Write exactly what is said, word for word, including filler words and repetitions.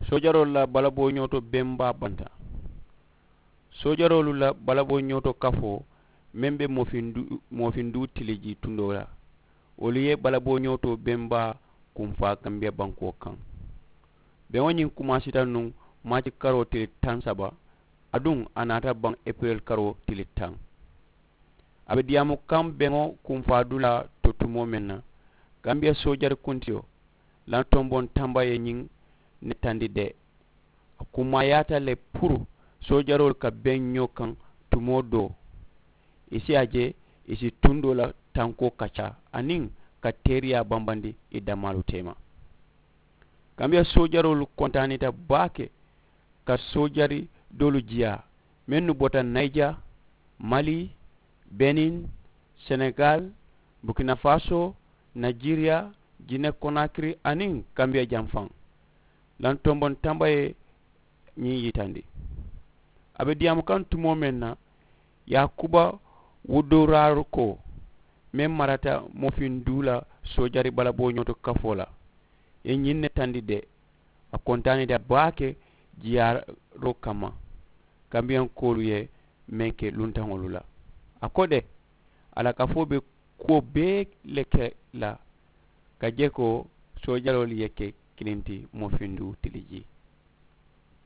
Soojaroolu la balaboo ñooto bembaa banta. Soojaroolu la balaboo ñooto kafoo meŋ be moofindu moofindu tiliji tundoo la, wolu ye balaboo ñooto bembaa kunfaa kambiya bankoo kaŋ. Beŋo ñiŋ kumaasita nuŋ maaci karoo tili taŋ saba, aduŋ a naata baŋ epirel karoo tili taŋ. A be diyaamu kaŋ beŋo kunfaa dulaa to tumoo meŋ na, kambiya soojari kuntiyo lantomboŋ tamba ye ñiŋ netandi de. A kummaayaata le puru soojaroolu ka beŋ ñoo kaŋ tumoo doo, i si a je i si tundoo la tankoo kaccaa aniŋ ka teeriyaa bambandi i damaalu teema. Kambiya soojaroolu kontaanita baake ka soojari doolu jiyaa mennu bota nayija, mali, benin, senegal, burkina faso, najeriya, jine konakiri aniŋ kambiya janfaŋ. Lantomboŋ tamba ye ñiŋ yitandi. A be diyaamu kaŋ tumoo meŋ na, yaakuba wudoraaru ko meŋ marata moofindu la soojari balaboo ñooto kafoo la, ye ñiŋ ne tandi de. A kontaanita baake jiyaaroo kamma kambiyankoolu ye meŋ ke luntaŋolu la. A ko de, a la kafoo be kuwo bee le ke la ka je ko soojaroolu ye ke kiliŋ ti moofindu tiliji.